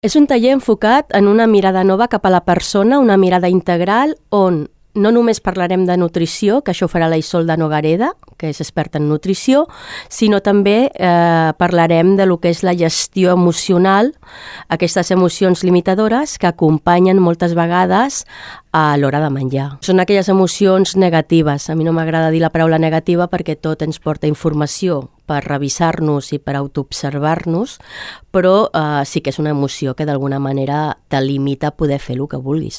És un taller enfocat en una mirada nova cap a la persona, una mirada integral on no només parlarem de nutrició, que això ho farà la Isolda Nogareda, que és experta en nutrició, sinó també parlarem de lo que és la gestió emocional, aquestes emocions limitadores que acompanyen moltes vegades a l'hora de menjar. Són aquelles emocions negatives. A mi no m'agrada dir la paraula negativa perquè tot ens porta informació per revisar-nos i per autoobservar-nos, però sí que és una emoció que d'alguna manera te limita a poder fer el que vulguis.